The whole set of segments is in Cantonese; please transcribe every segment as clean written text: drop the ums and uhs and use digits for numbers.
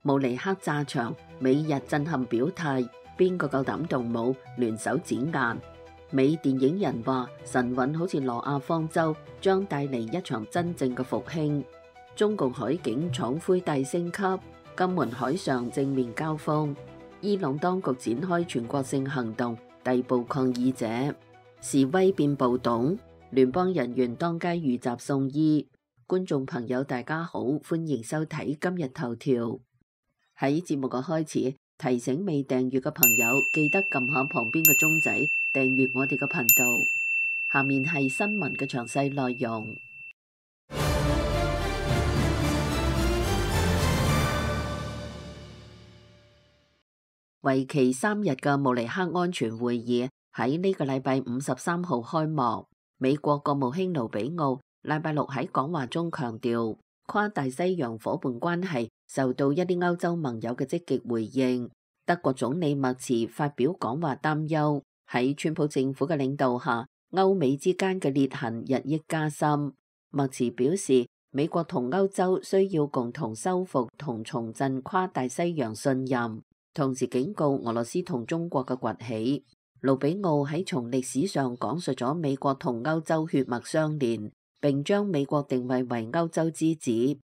慕尼黑炸場，美日震撼表態，邊個夠膽動武，聯手剪硬。美電影人話神韻好似諾亞方舟，將帶嚟一場真正嘅復興。中共海警闖灰大升級，金門海上正面交鋒。伊朗當局展開全國性行動，逮捕抗議者。示威變暴動，聯邦人員當街遇襲送醫。觀眾朋友大家好，歡迎收睇今日頭條。喺節目嘅開始，提醒未訂閱嘅朋友記得撳下旁邊嘅鐘仔，訂閱我哋嘅頻道。下面係新聞嘅詳細內容。為期3日嘅慕尼黑安全會議喺呢個禮拜53號開幕。美國國務卿盧比奧禮拜六喺講話中強調，跨大西洋夥伴關係受到一啲歐洲盟友嘅積極回應。德國總理默茨發表講話擔憂，喺川普政府嘅領導下，歐美之間嘅裂痕日益加深。默茨表示，美國同歐洲需要共同修復同重振跨大西洋信任，同時警告俄羅斯同中國嘅崛起。盧比奧喺從歷史上講述咗美國同歐洲血脈相連，並將美國定位為歐洲之子，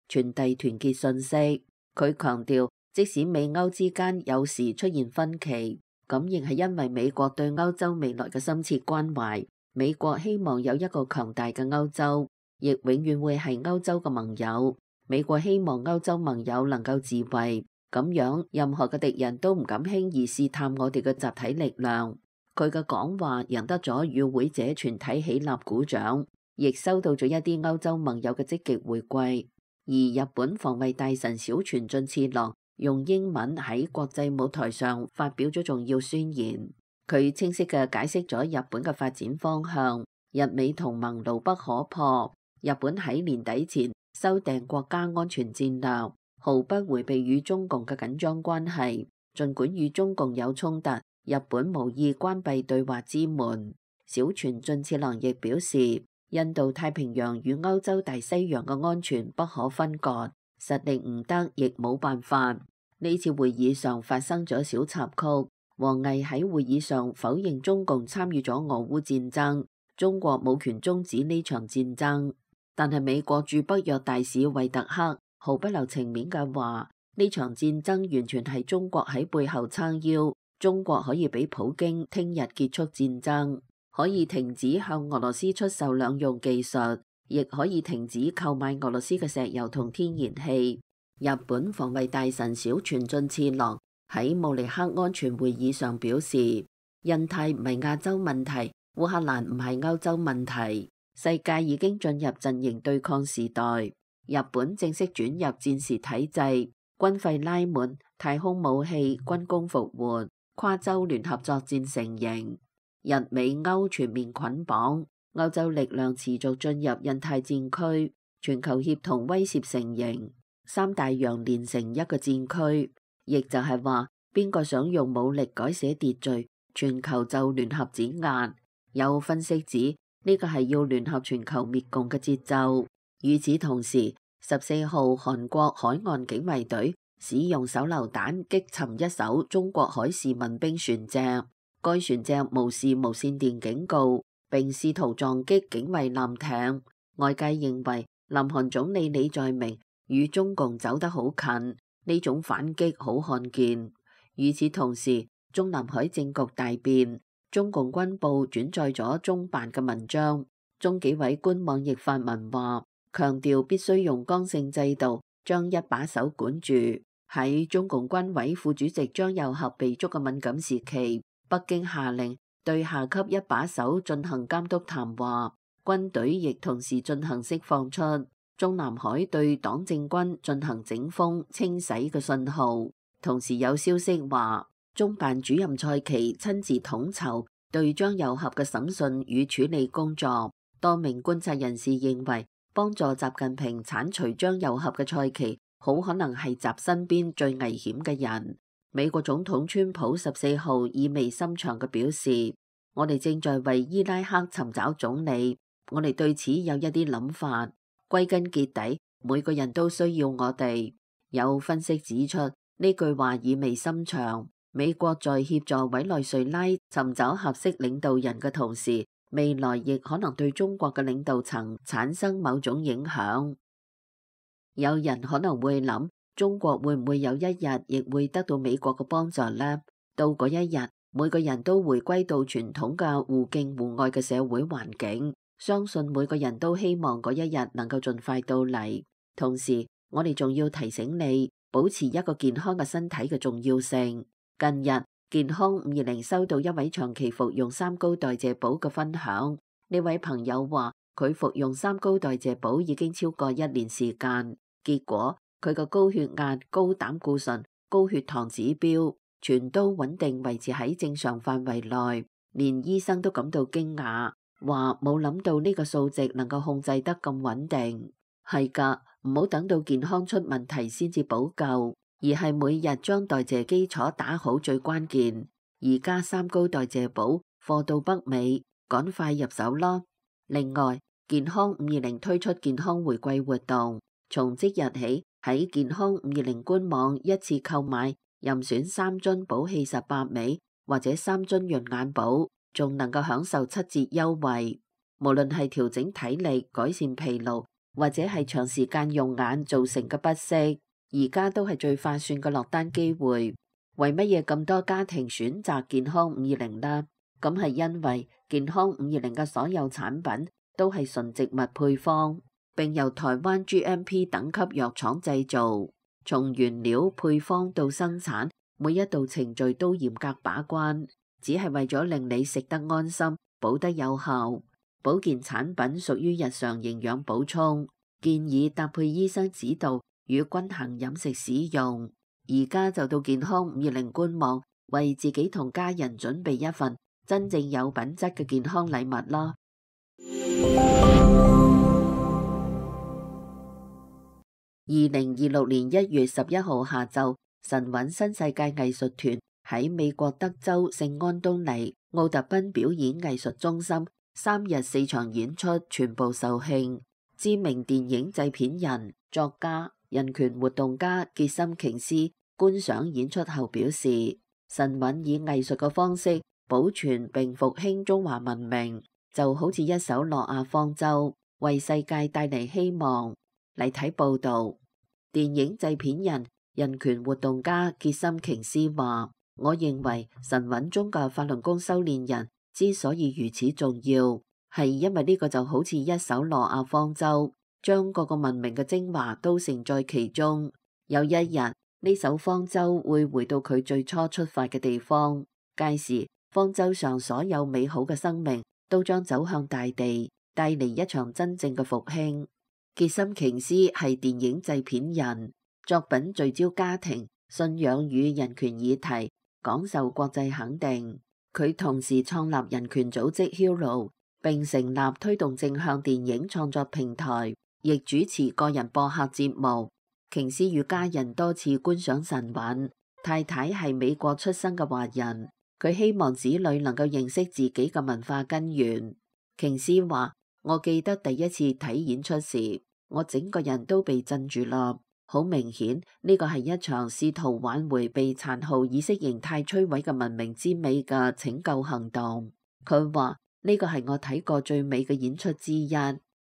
傳遞團結信息。佢強調，即使美歐之間有時出現分歧，咁亦係因為美國對歐洲未來嘅深切關懷。美國希望有一個強大嘅歐洲，亦永遠會係歐洲嘅盟友。美國希望歐洲盟友能夠自衛，咁樣任何嘅敵人都唔敢輕易試探我哋嘅集體力量。佢嘅講話贏得咗與會者全體起立鼓掌，亦收到咗一啲歐洲盟友嘅積極回饋。而日本防衛大臣小泉進次郎用英文喺國際舞台上發表咗重要宣言，佢清晰嘅解釋咗日本嘅發展方向。日美同盟牢不可破，日本喺年底前修訂國家安全戰略，毫不迴避與中共嘅緊張關係。儘管與中共有衝突，日本無意關閉對話之門。小泉進次郎亦表示，印度太平洋與歐洲大西洋嘅安全不可分割，實力唔得亦冇辦法。呢次會議上發生咗小插曲，王毅喺會議上否認中共參與咗俄烏戰爭，中國冇權終止呢場戰爭。但係美國駐北約大使惠特克毫不留情面嘅話，呢場戰爭完全係中國喺背後撐腰。中國可以俾普京聽日結束戰爭，可以停止向俄羅斯出售兩用技術，亦可以停止購買俄羅斯嘅石油同天然氣。日本防衛大臣小泉進次郎喺慕尼黑安全會議上表示，印太唔係亞洲問題，烏克蘭唔係歐洲問題，世界已經進入陣營對抗時代，日本正式轉入戰時體制，軍費拉滿，太空武器軍工復活，跨洲聯合作戰成形，日美歐全面捆綁，歐洲力量持續進入印太戰區，全球協同威懾成形，三大洋連成一個戰區，亦就係話邊個想用武力改寫秩序，全球就聯合碾壓。有分析指呢個係要聯合全球滅共嘅節奏。與此同時，14號韓國海岸警衛隊使用手榴彈擊沉一艘中國海事民兵船隻，該船隻無視無線電警告，並試圖撞擊警衛艦艇。外界認為南韓總理李在明與中共走得好近，呢種反擊好罕見。與此同時，中南海政局大變，中共軍報轉載咗中辦嘅文章，中紀委官網亦發文話，強調必須用剛性制度將一把手管住。喺中共軍委副主席張又俠被捉嘅敏感時期，北京下令對下級一把手進行監督談話，軍隊亦同時進行釋放出中南海對黨政軍進行整風清洗嘅信號。同時有消息話，中辦主任蔡奇親自統籌對張又俠嘅審訊與處理工作。多名觀察人士認為，幫助習近平剷除張又俠嘅蔡奇好可能係習身邊最危險嘅人。美國總統川普14號意味深長嘅表示，我哋正在為伊拉克尋找總理，我哋對此有一啲諗法。歸根結底，每個人都需要我哋。有分析指出，呢句話意味深長。美國在協助委內瑞拉尋找合適領導人嘅同時，未來亦可能對中國嘅領導層產生某種影響。有人可能會諗，中國會唔會有一日亦會得到美國嘅幫助呢？到嗰一日，每個人都回歸到傳統嘅互敬互愛嘅社會環境，相信每個人都希望嗰一日能夠盡快到嚟。同時，我哋仲要提醒你，保持一個健康嘅身體嘅重要性。近日，健康520收到一位長期服用三高代謝寶嘅分享。呢位朋友話，佢服用三高代謝寶已經超過1年時間，結果佢嘅高血壓、高膽固醇、高血糖指標全都穩定維持喺正常範圍內，連醫生都感到驚訝，話冇諗到呢個數值能夠控制得咁穩定。係㗎，唔好等到健康出問題先至補救，而係每日將代謝基礎打好最關鍵。而家三高代謝寶貨到北美，趕快入手咯。另外，健康520推出健康回饋活動，從即日起喺健康520官網一次購買任選3樽寶氣18味或者3樽潤眼寶，仲能夠享受7折優惠。無論係調整體力、改善疲勞，或者係長時間用眼造成嘅不適，而家都係最划算嘅落單機會。為乜嘢咁多家庭選擇健康520呢？咁係因為健康520嘅所有產品都係純植物配方，並由台灣 GMP 等級藥廠製造，從原料配方到生產，每一道程序都嚴格把關，只係為咗令你食得安心，補得有效。保健產品屬於日常營養補充，建議搭配醫生指導與均衡飲食使用。而家就到健康520官網，為自己同家人準備一份真正有品質嘅健康禮物啦。2026年1月11號下晝，神韻新世界藝術團喺美國德州聖安東尼奧特賓表演藝術中心3日4場演出全部售罄。知名電影製片人、作家、人權活動家傑森瓊斯觀賞演出後表示，神韻以藝術嘅方式保存並復興中華文明，就好似一艘諾亞方舟，為世界帶嚟希望。嚟睇報道，電影製片人、人權活動家傑森瓊斯話，我認為神韻中嘅法輪功修煉人之所以如此重要，係因為呢個就好似一艘諾亞方舟，將各個文明嘅精華都承載其中。有一日，呢艘方舟會回到佢最初出發嘅地方，屆時方舟上所有美好嘅生命都將走向大地，帶嚟一場真正嘅復興。傑森瓊斯係電影製片人，作品聚焦家庭、信仰與人權議題，廣受國際肯定。佢同時創立人權組織 Hero， 並成立推動正向電影創作平台，亦主持個人播客節目。瓊斯與家人多次觀賞神韻，太太係美國出生嘅華人，佢希望子女能夠認識自己嘅文化根源。瓊斯話，我記得第一次睇演出時，我整個人都被震住啦。好明顯，呢個係一場試圖挽回被殘酷意識形態摧毀嘅文明之美嘅拯救行動。佢話，呢個係我睇過最美嘅演出之一。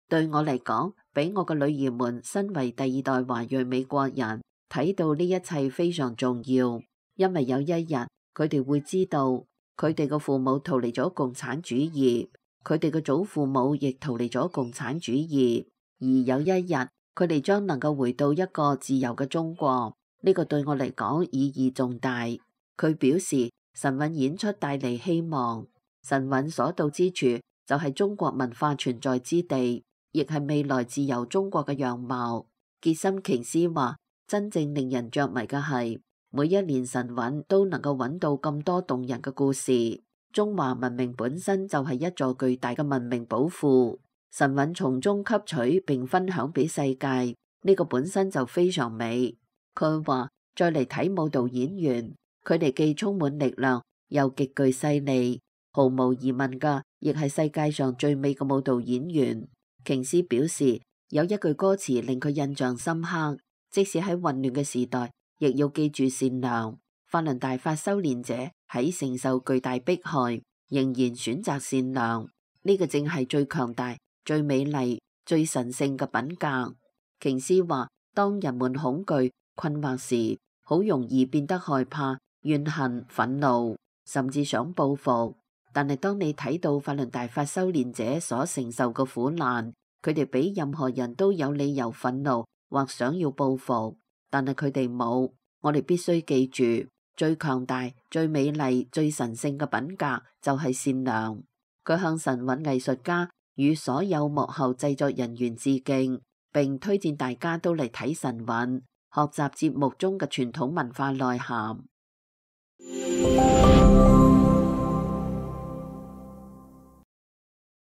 對我嚟講，俾我嘅女兒們身為第2代華裔美國人睇到呢一切非常重要，因為有一日佢哋會知道佢哋嘅父母逃離咗共產主義，佢哋嘅祖父母亦逃離咗共產主義，而有一日佢哋將能夠回到一個自由嘅中國。呢個對我嚟講意義重大。佢表示，神韻演出帶嚟希望，神韻所到之處就係中國文化存在之地，亦係未來自由中國嘅樣貌。傑森瓊斯話，真正令人着迷嘅係，每一年神韻都能夠揾到咁多動人嘅故事。中華文明本身就係一座巨大嘅文明寶庫，神韻從中吸取並分享俾世界，呢個本身就非常美。佢話，再嚟睇舞蹈演員，佢哋既充滿力量，又極具勢力，毫無疑問㗎，亦係世界上最美嘅舞蹈演員。瓊斯表示，有一句歌詞令佢印象深刻，即使喺混亂嘅時代，亦要記住善良。法輪大法修煉者喺承受巨大迫害，仍然選擇善良，呢個正係最強大、最美麗、最神聖嘅品格。瓊斯話，當人們恐懼、困惑時，好容易變得害怕、怨恨、憤怒，甚至想報復。但係當你睇到法輪大法修煉者所承受嘅苦難，佢哋比任何人都有理由憤怒或想要報復，但係佢哋冇。我哋必須記住，最強大、最美麗、最神聖嘅品格就係善良。佢向神韻藝術家與所有幕後製作人員致敬，並推薦大家都嚟睇神韻，學習節目中嘅傳統文化內涵。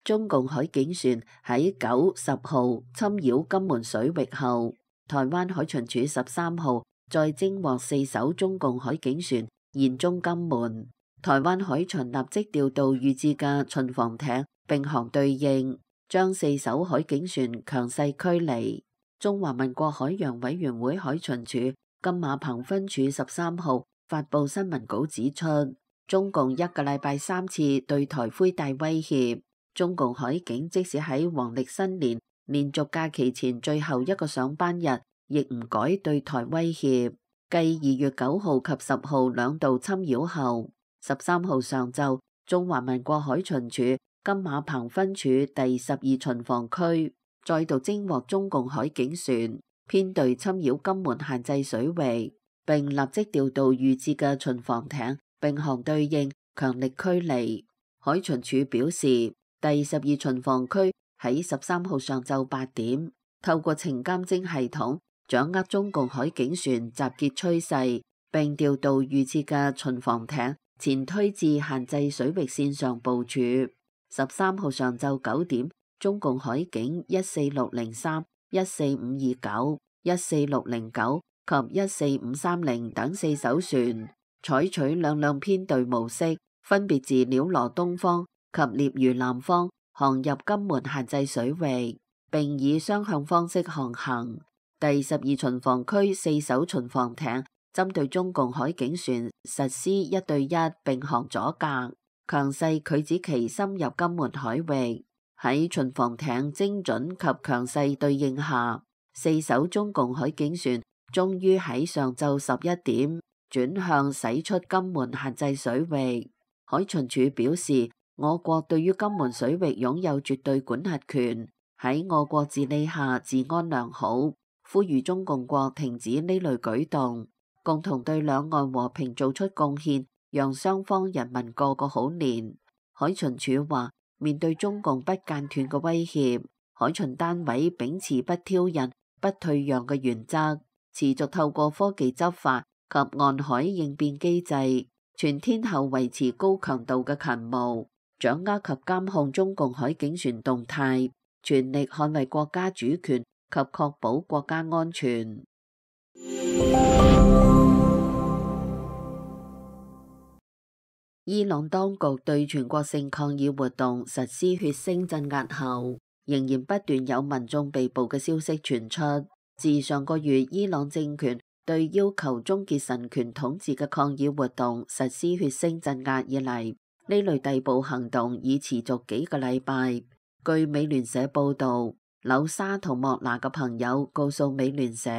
中共海警船喺9、10號侵擾金門水域後，台灣海巡署13號再偵獲4艘中共海警船現蹤金門，台灣海巡立即調度預置嘅巡防艇並航對應，將4艘海警船強勢驅離。中華民國海洋委員會海巡署金馬棚分署13號發布新聞稿指出，中共一個禮拜3次對台灰帶威脅。中共海警即使喺黃曆新年連續假期前最後一個上班日，亦唔改對台威脅。繼2月9號及10號兩度侵擾後，13號上晝，中華民國海巡署金馬棚分署第12巡防區再度偵獲中共海警船編隊侵擾金門限制水域，並立即調度預置嘅巡防艇並航對應，強力驅離。海巡署表示，第12巡防區喺13號上晝8點，透過情監偵系統掌握中共海警船集結趨勢，並調度預設嘅巡防艇前推至限制水域線上部署。13號上晝9點，中共海警14603、14529、14609及14530等4艘船，採取兩輛編隊模式，分別自鳥羅東方及獵魚南方航入金門限制水域，並以雙向方式航行。第12巡防區4艘巡防艇針對中共海警船實施1對1並航阻隔，強勢拒止其深入金門海域。喺巡防艇精準及強勢對應下，4艘中共海警船終於喺上晝11點轉向駛出金門限制水域。海巡署表示，我國對於金門水域擁有絕對管轄權，喺我國治理下治安良好，呼籲中共國停止呢類舉動，共同對兩岸和平做出貢獻，讓雙方人民過個好年。海巡署話，面對中共不間斷嘅威脅，海巡單位秉持不挑釁、不退讓嘅原則，持續透過科技執法及岸海應變機制，全天候維持高強度嘅勤務，掌握及監控中共海警船動態，全力捍衛國家主權及確保國家安全。伊朗當局對全國性抗議活動實施血腥鎮壓後，仍然不斷有民眾被捕嘅消息傳出。自上個月伊朗政權對要求終結神權統治嘅抗議活動實施血腥鎮壓以嚟，呢類逮捕行動已持續幾個禮拜。據美聯社報導，柳沙同莫拿嘅朋友告訴美聯社，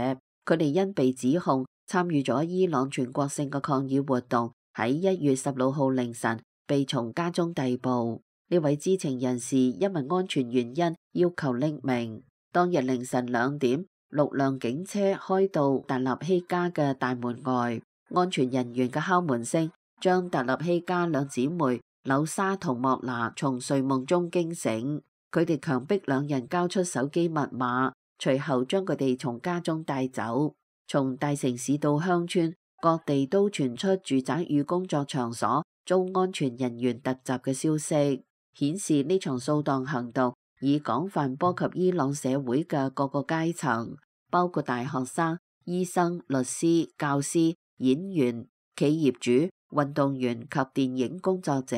佢哋因被指控參與咗伊朗全國性嘅抗議活動，喺1月16號凌晨被從家中逮捕。呢位知情人士因為安全原因要求匿名。當日凌晨2點，6輛警車開到達納希家嘅大門外，安全人員嘅敲門聲將達納希家兩姊妹柳沙同莫拿從睡夢中驚醒。佢哋強迫兩人交出手機密碼，隨後將佢哋從家中帶走。從大城市到鄉村，各地都傳出住宅與工作場所遭安全人員突襲嘅消息，顯示呢場掃蕩行動已廣泛波及伊朗社會嘅各個階層，包括大學生、醫生、律師、教師、演員、企業主、運動員及電影工作者，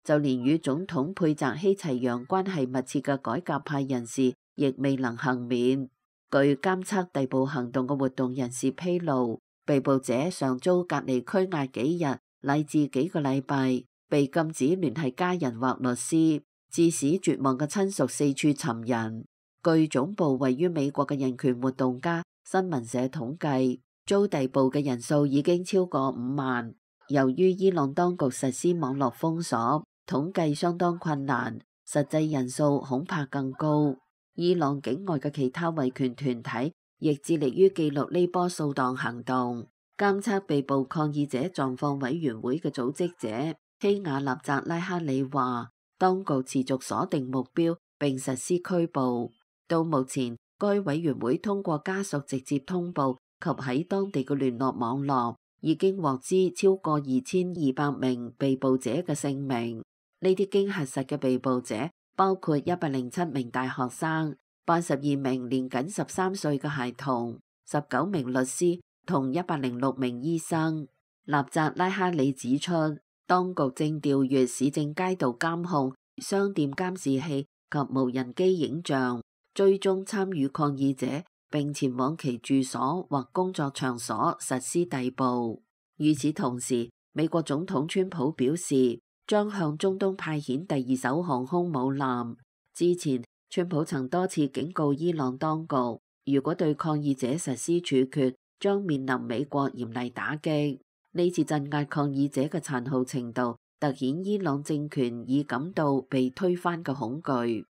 就連與總統佩澤希齊揚關係密切嘅改革派人士亦未能幸免。據監測逮捕行動嘅活動人士披露，被捕者上遭隔離拘押幾日乃至幾個禮拜，被禁止聯繫家人或律師，致使絕望嘅親屬四處尋人。據總部位於美國嘅人權活動家新聞社統計，遭逮捕嘅人數已經超過5萬。由於伊朗當局實施網絡封鎖，統計相當困難，實際人數恐怕更高。伊朗境外嘅其他維權團體亦致力於記錄呢波掃蕩行動。監測被捕抗議者狀況委員會嘅組織者希瓦納扎拉哈里話，當局持續鎖定目標並實施拘捕。到目前，該委員會通過家屬直接通報及喺當地嘅聯絡網絡，已經獲知超過2200名被捕者嘅姓名。呢啲經核實嘅被捕者包括107名大學生、82名年僅13歲嘅孩童、19名律師同106名醫生。納扎拉哈里指出，當局正調閱市政街道監控、商店監視器及無人機影像，追蹤參與抗議者，並前往其住所或工作場所實施逮捕。與此同時，美國總統川普表示將向中東派遣第2艘航空母艦。之前，川普曾多次警告伊朗當局，如果對抗議者實施處決，將面臨美國嚴厲打擊。呢次鎮壓抗議者嘅殘酷程度，凸顯伊朗政權已感到被推翻嘅恐懼。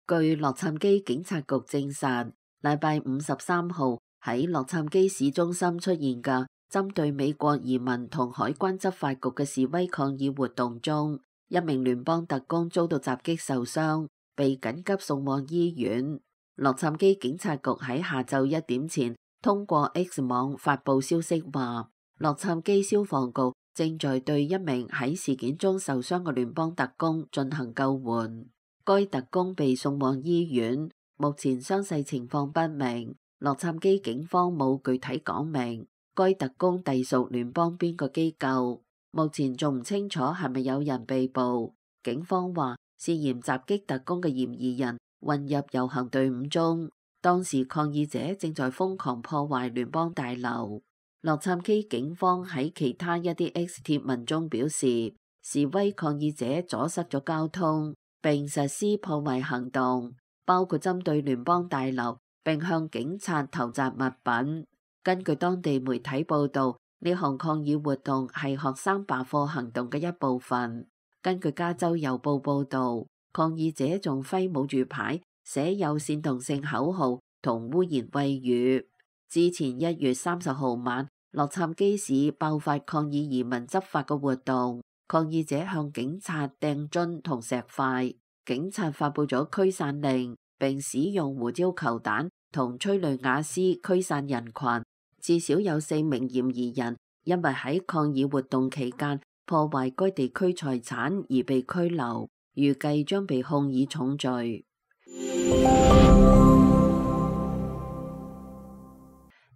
據洛杉磯警察局證實，禮拜5 13號喺洛杉磯市中心出現嘅針對美國移民同海關執法局嘅示威抗議活動中，一名聯邦特工遭到襲擊受傷，被緊急送往醫院。洛杉磯警察局喺下晝1點前通過 X 網發佈消息話，洛杉磯消防局正在對一名喺事件中受傷嘅聯邦特工進行救援。該特工被送往醫院，目前傷勢情況不明。洛杉磯警方冇具體講明該特工隸屬聯邦邊個機構，目前仲唔清楚係咪有人被捕。警方話涉嫌襲擊特工嘅嫌疑人混入遊行隊伍中，當時抗議者正在瘋狂破壞聯邦大樓。洛杉磯警方喺其他一啲 X 貼文中表示，示威抗議者阻塞咗交通，並實施破壞行動，包括針對聯邦大樓，並向警察投擲物品。根據當地媒體報道，呢項抗議活動係學生罷課行動嘅一部分。根據加州郵報報道，抗議者仲揮舞住牌，寫有煽動性口號同污言穢語。之前1月30號晚，洛杉磯市爆發抗議移民執法嘅活動，抗議者向警察掟磚同石塊，警察發佈咗驅散令，並使用胡椒球彈同催淚瓦斯驅散人群。至少有4名嫌疑人因為喺抗議活動期間破壞該地區財產而被拘留，預計將被控以重罪。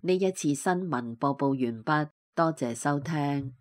呢一次新聞播報完畢，多謝收聽。